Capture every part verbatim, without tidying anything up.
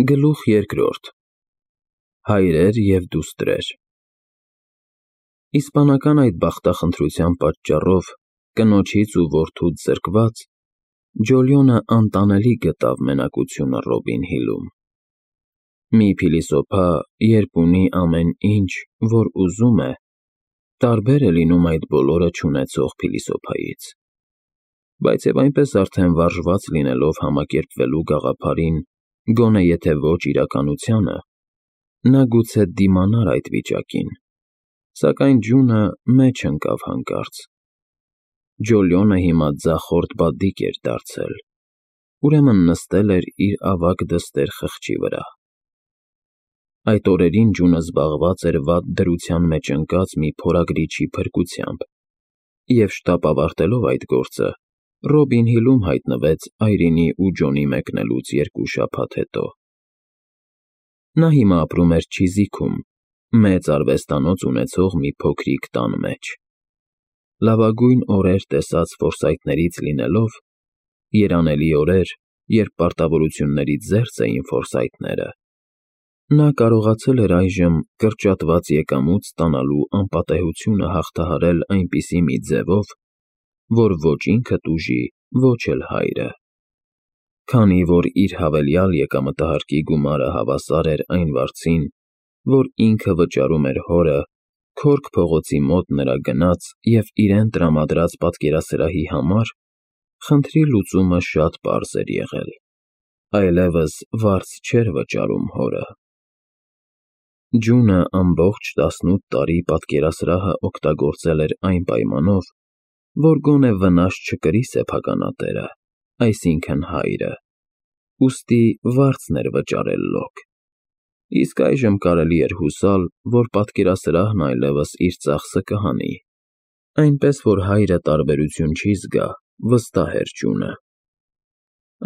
Գլուխ երկրորդ Հայրեր և դուստրեր Իսպանական այդ բախտախնդրության պատճառով, կնոջից ու որդուց զրկված, Ջոլիոնը անտանելի գտավ մենակությունը Ռոբին Հիլում։ Մի փիլիսոփա, երբ ունի ամեն ինչ, որ ուզում է, տարբեր է լինում այդ բոլորը չունեցող փիլիսոփայից, բայց և այնպես արդեն վարժված լինելով համակերպվելու գաղափարին, գոնե եթե ոչ իրականությանը, նա գուցե դիմանար այդ վիճակին, սակայն ջունը մեջ ընկավ հանկարծ։ Ջոլիոնը հիմա ձախորդ բադիկ էր դարձել, ուրեմն նստել էր իր ավագ դստեր խղճի վրա։ Այդ օրերին ջունը զբաղված էր վատ դրության մեջ ընկած մի փորագրիչի փրկությամբ, և շտապ ավարտելով այդ գործը, Ռոբին Հիլում հայտնվեց Այրինի ու Ջոնի մեկնելուց երկու շաբաթ հետո։ Նա հիմա ապրում էր Չիզիքում, մեծ արվեստանոց ունեցող մի փոքրիկ տան մեջ։ Լավագույն օրեր տեսած ֆորսայթներից լինելով, երանելի օրեր, երբ պարտավորություններից զերծ էին ֆորսայթները, նա կարողացել էր այժմ կրճատված եկամուտ ստանալու անպատեհությունը հաղթահարել այնպիսի մի ձևով, որ ոչ ինքը տուժի, ոչ էլ հայրը։ Քանի որ իր հավելյալ եկամտահարկի գումարը հավասար էր այն վարձին, որ ինքը վճարում էր հորը, Քորք փողոցի մոտ նրա գնած և իրեն տրամադրած պատկերասրահի համար, խնդրի լուծումը շատ պարզ էր եղել. այլևս վարձ չէր վճարում հորը։ Ջունը ամբողջ տասնութ տարի պատկերասրահը օգտագործել էր այն պայմանով, որ գոնե վնաս չկրի սեփականատերը, այսինքն՝ հայրը, ուստի վարձն էր վճարել լոկ, իսկ այժմ կարելի էր հուսալ, որ պատկերասրահն այլևս իր ծախսը կհանի, այնպես որ հայրը տարբերություն չի զգա, վստահ էր ջունը։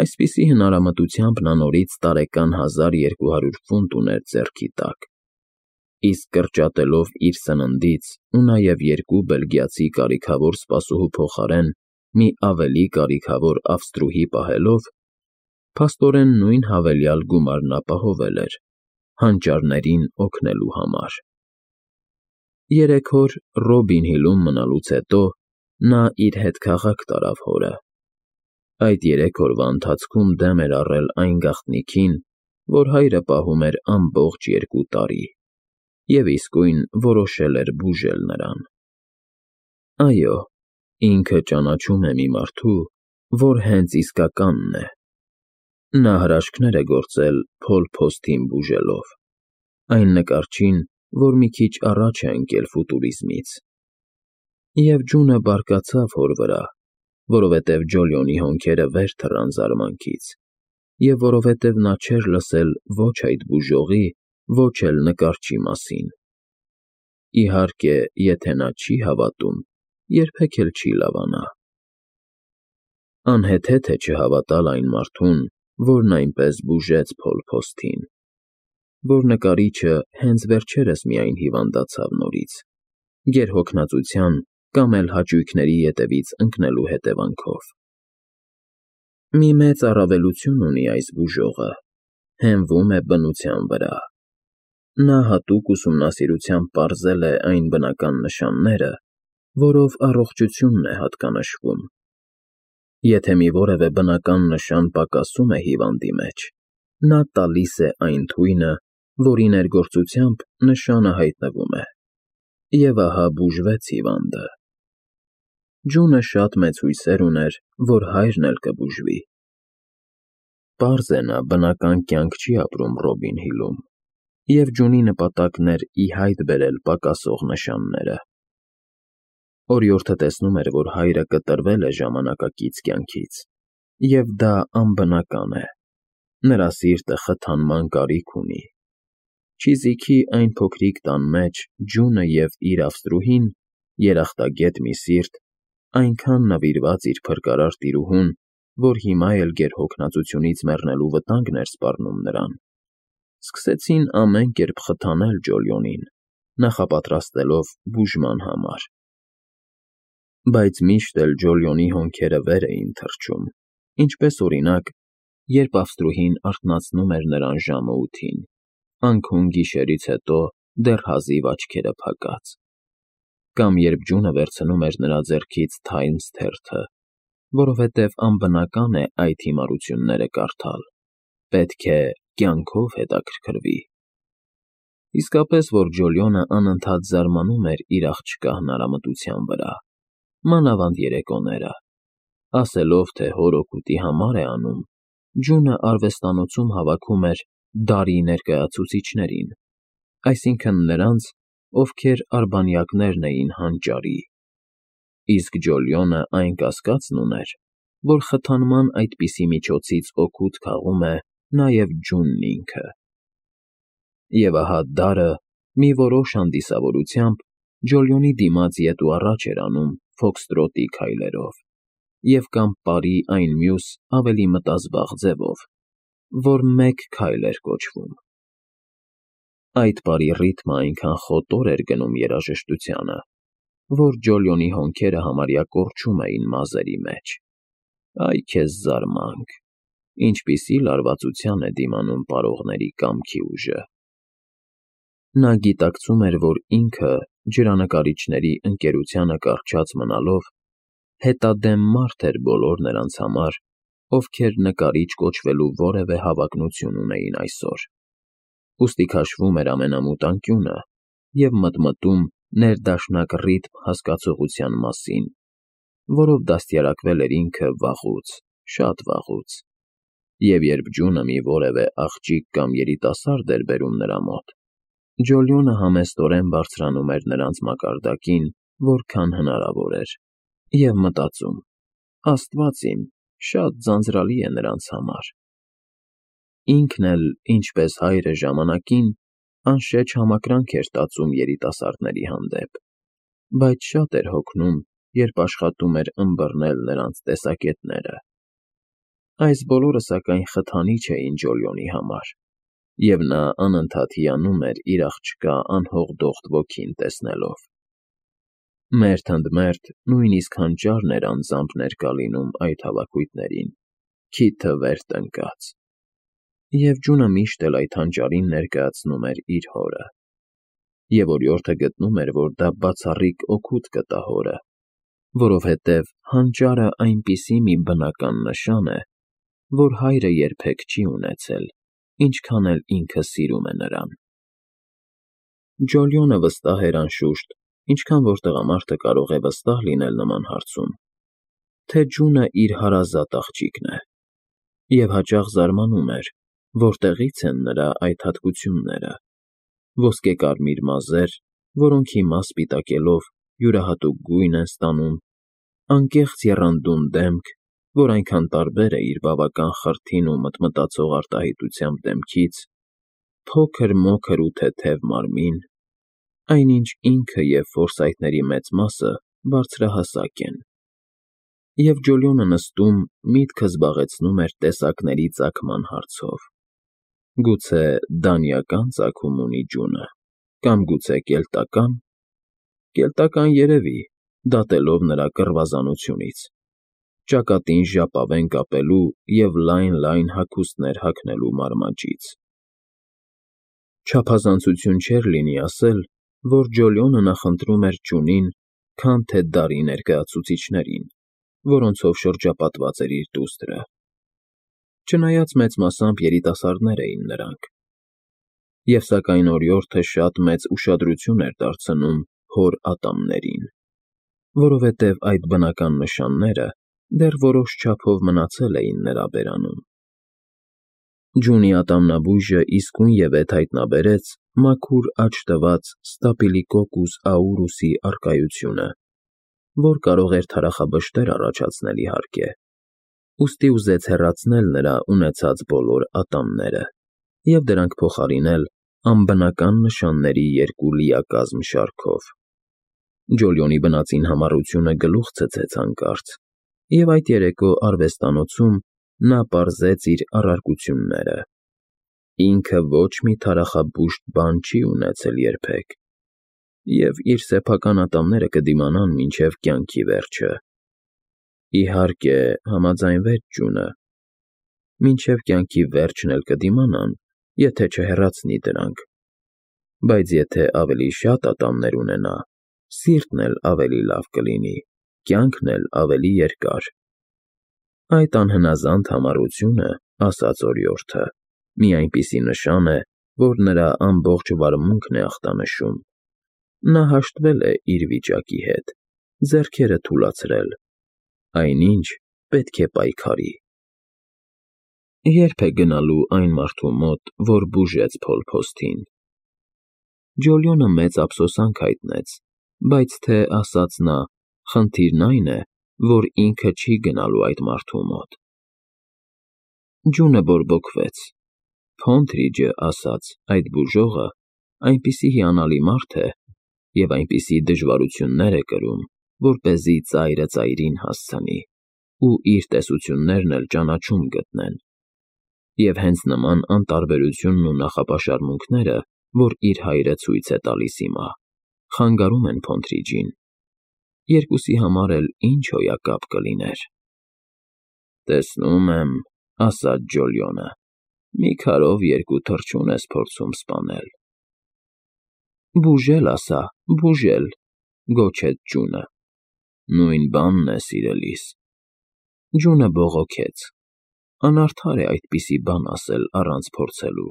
Այսպիսի հնարամտությամբ նա նորից տարեկան հազար երկու հարյուր ֆունտ ուներ ձեռքի տակ, իսկ կրճատելով իր սննդից ու նաև երկու բելգիացի կարիքավոր սպասուհու փոխարեն մի ավելի կարիքավոր ավստրուհի պահելով, փաստորեն նույն հավելյալ գումարն ապահովել էր, հանճարներին օգնելու համար։ Երեք օր Ռոբին Հիլում մնալուց հետո նա իր հետ քաղաք տարավ հորը։ Այդ երեք օրվա ընթացքում դեմ էր առել այն գաղտնիքին, որ հայրը պահում էր ամբողջ երկու տարի, և իսկույն որոշել էր բուժել նրան։ Այո, ինքը ճանաչում է մի մարդու, որ հենց իսկականն է։ Նա հրաշքներ է գործել Փոլ Փոսթին բուժելով, այն նկարչին, որ մի քիչ առաջ է ընկել ֆուտուրիզմից։ Եվ ջունը բարկացավ հոր վրա, որովհետև Ջոլիոնի հոնքերը վեր թռան զարմանքից, և որովհետև նա չէր լսել ոչ այդ բուժողի, ոչ էլ նկարչի մասին։ Իհարկե, եթե նա չի հավատում, երբեք էլ չի լավանա։ Անհեթեթ է չհավատալ այն մարդուն, որն այնպես բուժեց Փոլ Փոսթին, որ նկարիչը հենց վերջերս միայն հիվանդացավ նորից, գերհոգնածության կամ էլ հաճույքների ետևից ընկնելու հետևանքով։ Մի մեծ առավելություն ունի այս բուժողը. հենվում է բնության վրա։ Նա հատուկ ուսումնասիրությամբ պարզել է այն բնական նշանները, որով առողջությունն է հատկանշվում։ Եթե մի որևէ բնական նշան պակասում է հիվանդի մեջ, նա տալիս է այն թույնը, որի ներգործությամբ նշանը հայտնվում է, և ահա բուժվեց հիվանդը։ Ջունը շատ մեծ հույսեր ուներ, որ հայրն էլ կբուժվի։ Պարզ է, նա բնական կյանք չի ապրում Ռոբին Հիլում, և ջունի նպատակն էր ի հայտ բերել պակասող նշանները։ Օրիորդը տեսնում էր, որ հայրը կտրվել է ժամանակակից կյանքից, և դա անբնական է, նրա սիրտը խթանման կարիք ունի։ Չիզիքի այն փոքրիկ տան մեջ ջունը և իր ավստրուհին, երախտագետ մի սիրտ, այնքան նվիրված իր փրկարար տիրուհուն, որ հիմա էլ գերհոգնածությունից մեռնելու վտանգն էր սպառնում նրան, սկսեցին ամեն կերպ խթանել Ջոլիոնին, նախապատրաստելով բուժման համար։ Բայց միշտ էլ Ջոլիոնի հոնքերը վեր էին թռչում, ինչպես օրինակ, երբ Ավստրուհին արթնացնում էր նրան ժամը ութին, անքուն գիշերից հետո դեռ հազիվ աչքերը փակած, կամ երբ ջունը վերցնում էր նրա ձեռքից Times թերթը, որովհետև անբնական է այդ հիմարությունները կարդալ, պետք է կյանքով հետաքրքրվի։ Իսկապես, որ Ջոլիոնը անընդհատ զարմանում էր իր աղջկա հնարամտության վրա, մանավանդ երեկոները, ասելով, թե հոր օգուտի համար է անում, ջունը արվեստանոցում հավաքում էր դարի ներկայացուցիչներին, այսինքն նրանց, ովքեր արբանյակներն էին հանճարի, իսկ Ջոլիոնը այն կասկածն ուներ, որ խթանման այդպիսի միջոցից օգուտ քաղում է նաև ջունն ինքը։ Եվ ահա դարը, մի որոշ հանդիսավորությամբ, Ջոլիոնի դիմաց ետ ու առաջ էր անում ֆոքստրոտի քայլերով, և կամ պարի այն մյուս ավելի մտազբաղ ձևով, որ մեկ քայլ էր կոչվում։ Այդ պարի ռիթմը այնքան խոտոր էր գնում երաժշտությանը, որ Ջոլիոնի հոնքերը համարյա կորչում էին մազերի մեջ։ Այ քեզ զարմանք, ինչպիսի լարվածության է դիմանում պարողների կամքի ուժը։ Նա գիտակցում էր, որ ինքը, ջրանկարիչների ընկերությանը կառչած մնալով, հետադեմ մարդ էր բոլոր նրանց համար, ովքեր նկարիչ կոչվելու որևէ հավակնություն ունեին այսօր, ուստի քաշվում էր ամենամութ անկյունը և մտմտում ներդաշնակ ռիթմ հասկացողության մասին, որով դաստիարակվել էր ինքը վաղուց, շատ վաղուց, և երբ ջունը մի որևէ աղջիկ կամ երիտասարդ էր բերում նրա մոտ, Ջոլիոնը համեստորեն բարձրանում էր նրանց մակարդակին, որքան հնարավոր էր, և մտածում. «Աստված իմ, շատ ձանձրալի է նրանց համար»։ Ինքն էլ, ինչպես հայրը ժամանակին, անշեջ համակրանք էր տածում երիտասարդների հանդեպ, բայց շատ էր հոգնում, երբ աշխատում էր ըմբռնել նրանց տեսակետները։ Այս բոլորը, սակայն, խթանիչ էին Ջոլիոնի համար, և նա անընդհատ հիանում էր իր աղջկա անհողդողդ ոգին տեսնելով։ Մերթ ընդ մերթ նույնիսկ հանճարն էր անձամբ ներկա լինում այդ հավաքույթներին, քիթը վեր տնկած, և ջունը միշտ էլ այդ հանճարին ներկայացնում էր իր հորը, և օրիորդը գտնում էր, որ դա բացառիկ օգուտ կտա հորը, որովհետև հանճարը այնպիսի մի բնական նշան է, որ հայրը երբեք չի ունեցել, ինչքան էլ ինքը սիրում է նրան։ Ջոլիոնը վստահ էր անշուշտ, ինչքան որ տղամարդը կարող է վստահ լինել նման հարցում, թե ջունը իր հարազատ աղջիկն է, և հաճախ զարմանում էր, որտեղից են նրա այդ հատկությունները՝ ոսկեկարմիր մազեր, որոնք հիմա սպիտակելով յուրահատուկ գույն են ստանում, անկեղծ եռանդուն դեմք, որ այնքան տարբեր է իր բավական խրթին ու մտմտացող արտահայտությամբ դեմքից, փոքր-մոքր ու թեթև մարմին, այնինչ ինքը և ֆորսայթների մեծ մասը բարձրահասակ են, և Ջոլիոնը նստում միտքը զբաղեցնում էր տեսակների ծագման հարցով. գուցե դանիական ծագում ունի ջունը, կամ գուցե կելտակա՞ն, կելտական երևի, դատելով նրա կռվազանությունից, ճակատին ժապավեն կապելու և լայն֊լայն հագուստներ հագնելու մարմաճից։ Չափազանցություն չէր լինի ասել, որ Ջոլիոնը նախընտրում էր ջունին, քան թե դարի ներկայացուցիչներին, որոնցով շրջապատված էր իր դուստրը, չնայած մեծ մասամբ երիտասարդներ էին նրանք, և սակայն օրիորդը շատ մեծ ուշադրություն էր դարձնում հոր ատամներին, որովհետև այդ բնական նշանները դեռ որոշ չափով մնացել էին նրա բերանում։ Ջունի ատամնաբույժը իսկույնևեթ հայտնաբերեց մաքուր աջ տված ստապիլոկոկուս աուրուսի առկայությունը, որ կարող էր թարախաբշտեր առաջացնել, իհարկե, ուստի ուզեց հեռացնել նրա ունեցած բոլոր ատամները և դրանք փոխարինել անբնական նշանների երկու լիակազմ շարքով։ Ջոլիոնի բնածին համառությունը գլուխ ցցեց հանկարծ, և այդ երեկո արվեստանոցում նա պարզեց իր առարկությունները. ինքը ոչ մի թարախաբուժտ բան չի ունեցել երբեք, և իր սեփական ատամները կդիմանան մինչև կյանքի վերջը։ Իհարկե, համաձայնվեց ջունը, մինչև կյանքի վերջն էլ կդիմանան, եթե չհեռացնի դրանք, բայց եթե ավելի շատ ատամներ ունենա, սիրտն էլ ավելի լավ կլինի, կյանքն էլ ավելի երկար։ Այդ անհնազանդ համառությունը, ասաց օրիորդը, մի այնպիսի նշան է, որ նրա ամբողջ վարմունքն է ախտանշում։ Նա հաշտվել է իր վիճակի հետ, ձեռքերը թուլացրել, այնինչ պետք է պայքարի։ Ե՞րբ է գնալու այն մարդու մոտ, որ բուժեց փոլփոստին։ Ջոլյոնը մեծ ափսոսանք հայտնեց, բայց թե, ասաց նա, խնդիրն այն է, որ ինքը չի գնալու այդ մարդու մոտ։ Ջունը բորբոքվեց։ Փոնթրիջը, ասաց, այդ բուժողը այնպիսի հիանալի մարդ է և այնպիսի դժվարություններ է կրում, որպեսզի ծայրը ծայրին հասցնի ու իր տեսություններն էլ ճանաչում գտնեն։ Եվ հենց նման անտարբերությունն ու նախապաշարմունքները, որ իր հայրը ցույց է տալիս հիմա, խանգարում են Փոնթրիջին։ Երկուսի համար էլ ինչ հոյակապ կլիներ։ Տեսնում եմ, ասաց Ջոլյոնը, մի քարով երկու թռչուն ես փորձում սպանել։ Բուժել ասա, բուժել, գոչեց Ջունը։ Նույն բանն է, սիրելիս։ Ջունը բողոքեց։ Անարդար է այդպիսի բան ասել առանց փորձելու։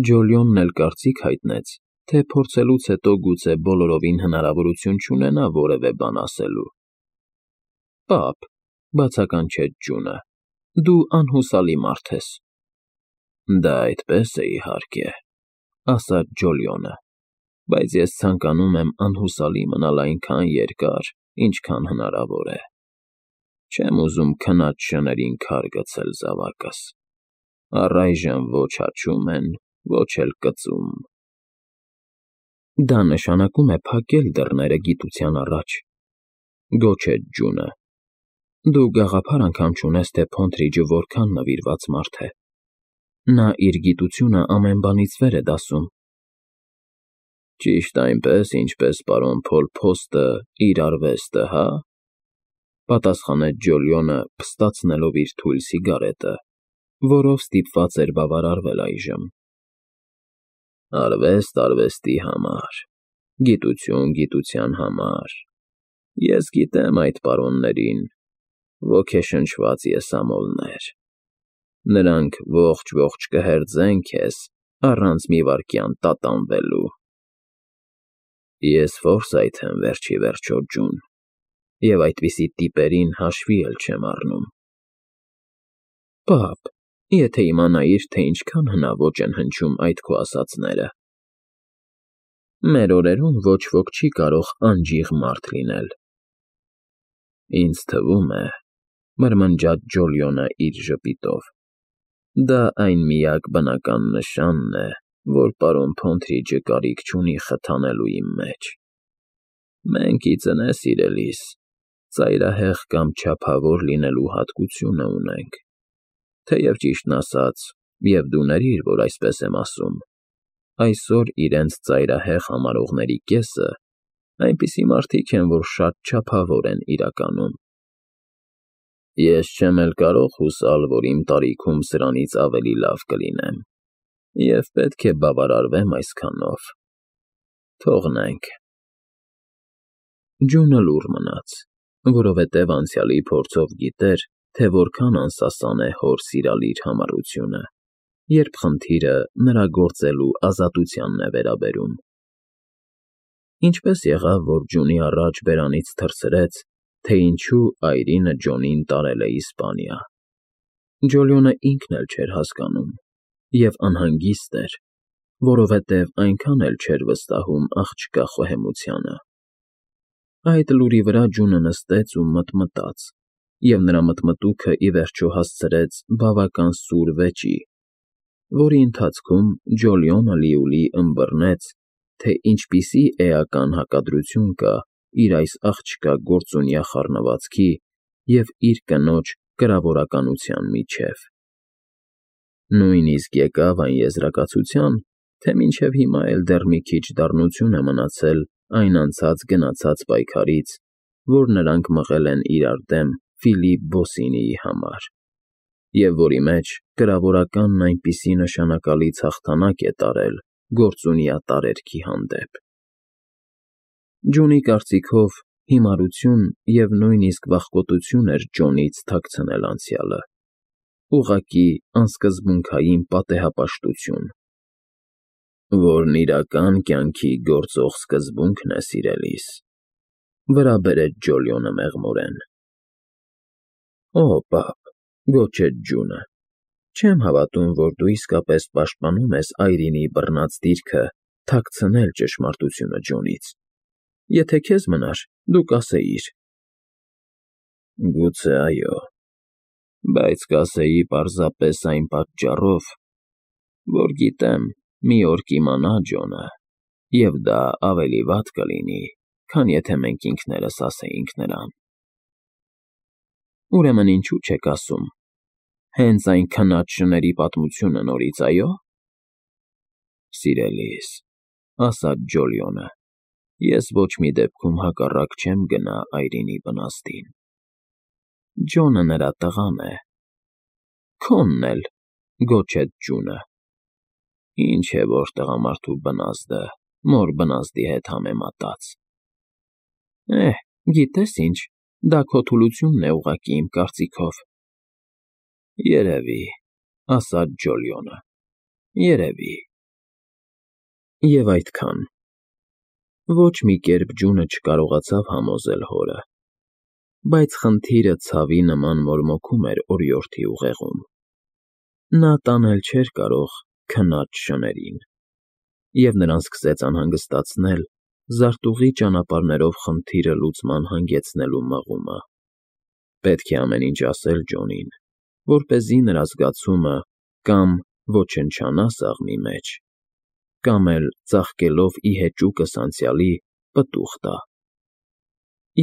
Ջոլյոնն էլ կարծիք հայտնեց, թե փորձելուց հետո գուցե բոլորովին հնարավորություն չունենա որևէ բան ասելու։ Պապ, բացականչեց Ջունը, դու անհուսալի մարդ ես։ Դա այդպես է, իհարկե, ասաց Ջոլյոնը, բայց ես ցանկանում եմ անհուսալի մնալ այնքան երկար, ինչքան հնարավոր է։ Չեմ ուզում քնած շներին քար գցել զավակս։ Առայժմ ոչ հաչում են, ոչ էլ կծում։ Դա նշանակում է փակել դռները գիտության առաջ, գոչեց Ջունը։ Դու գաղափար անգամ չունես, թե Փոնթրիջը որքան նվիրված մարդ է։ Նա իր գիտությունը ամեն բանից վեր է դասում։ Ճիշտ այնպես, ինչպես պարոն Փոլփոստը իր արվեստը, հա՞, պատասխանեց Ջոլյոնը, փստացնելով իր թույլ սիգարետը, որով ստիպված էր բավարարվել այժմ։ Արվեստ արվեստի համար, գիտություն գիտության համար։ Ես գիտեմ այդ պարոններին, ոգեշնչված եսամոլներ։ Նրանք ողջ-ողջ կհերձեն քեզ առանց մի վայրկյան տատանվելու։ Ես ֆորսայթ եմ վերջի վերջո, Ջուն, և այդպիսի տիպերին հաշվի էլ չեմ առնում։ Պապ, եթե իմանայիր, թե ինչքան հնաոճ են հնչում այդ քո ասածները։ Մեր օրերում ոչ ոք չի կարող անջիղ մարդ լինել։ Ինձ թվում է, մրմնջաց Ջոլյոնը իր ժպիտով, դա այն միակ բնական նշանն է, որ պարոն Փոնթրիջը կարիք չունի խթանելու իմ մեջ։ Մենք, ի ծնե սիրելիս, ծայրահեղ կամ չափավոր լինելու հատկությունը ունենք, թեև ճիշտն ասած, և դու ների՛ր, որ այսպես եմ ասում, այսօր իրենց ծայրահեղ համարողների կեսը այնպիսի մարդիկ են, որ շատ չափավոր են իրականում։ Ես չեմ էլ կարող հուսալ, որ իմ տարիքում սրանից ավելի լավ կլինեմ, և պետք է բավարարվեմ այսքանով։ Թողնենք։ Ջունը լուռ մնաց, որովհետև անցյալի փորձով գիտեր, թե որքան անսասան է հոր սիրալիր համառությունը, երբ խնդիրը նրա գործելու ազատությանն է վերաբերում։ Ինչպես եղավ, որ Ջունի առաջ բերանից թռցրեց, թե ինչու այրինը Ջոնին տարել է Իսպանիա։ Ջոլյոնը ինքն էլ չէր հասկանում և անհանգիստ էր, որովհետև այնքան էլ չէր վստահում աղջկա խոհեմությանը։ Այդ լուրի վրա Ջունը նստեց ու մտմտաց, և նրա մտմտուքը ի վերջո հասցրեց բավական սուր վեճի, որի ընթացքում Ջոլյոնը լիուլի ըմբռնեց, թե ինչպիսի էական հակադրություն կա իր այս աղջկա գործունյա խառնվածքի և իր կնոջ կրավորականության միջև։ Նույնիսկ եկավ այն եզրակացության, թե մինչև հիմա էլ դեռ մի քիչ դառնություն է մնացել այն անցած֊գնացած պայքարից, որ նրանք մղել են իրար դեմ Ֆիլիպ Բոսինիի համար, և որի մեջ կրավորականն այնպիսի նշանակալից հաղթանակ է տարել գործունյա տարերքի հանդեպ։ Ջոնի կարծիքով հիմարություն և նույնիսկ վախկոտություն էր Ջոնից թաքցնել անցյալը, ուղղակի անսկզբունքային պատեհապաշտություն, որն իրական կյանքի գործող սկզբունքն է, սիրելիս,֊ վրա բերեց Ջոլիոնը մեղմորեն։ Օ, պապ,֊ գոչեց Ջունը,֊ չեմ հավատում, որ դու իսկապես պաշտպանում ես Այրինի բռնած դիրքը թաքցնել ճշմարտությունը Ջոնից։ Եթե քեզ մնար, դու կասեիր։ Գուցե այո, բայց կասեի պարզապես այն պատճառով, որ գիտեմ, մի օր կիմանա Ջոնը, և դա ավելի վատ կլինի, քան եթե մենք ինքներս ասեինք նրան։ Ուրեմն ինչու՞ չեք ասում, հենց այն քնած շների պատմությունը նորից, այո՞։ Սիրելիս,֊ ասաց Ջոլիոնը,֊ ես ոչ մի դեպքում հակառակ չեմ գնա Այրինի բնաստին։ Ջոնը նրա տղան է։ Քոնն էլ,֊ գոչեց Ջունը։ Ինչ է որ տղամարդու բնազդը մոր բնազդի հետ համեմատած։ Էհ, գիտես ինչ, դա քո թուլությունն է ուղղակի, իմ կարծիքով։ Երևի,֊ ասաց Ջոլիոնը,֊ երևի։ Եվ այդքան։ Ոչ մի կերպ Ջունը չկարողացավ համոզել հորը, բայց խնդիրը ցավի նման մորմոքում էր օրիորդի ուղեղում։ Նա տանել չէր կարող քնած շներին, և նրան սկսեց անհանգստացնել զարտուղի ճանապարհներով խնդիրը լուծման հանգեցնելու մղումը։ Պետք է ամեն ինչ ասել Ջոնին, որպեսզի նրա զգացումը կամ ոչնչանա սաղմի մեջ, կամ էլ, ծաղկելով ի հեճուկս անցյալի, պտուղ տա։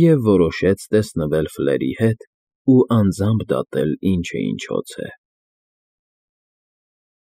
Եվ որոշեց տեսնվել Ֆլերի հետ ու անձամբ դատել ինչը ինչոց է։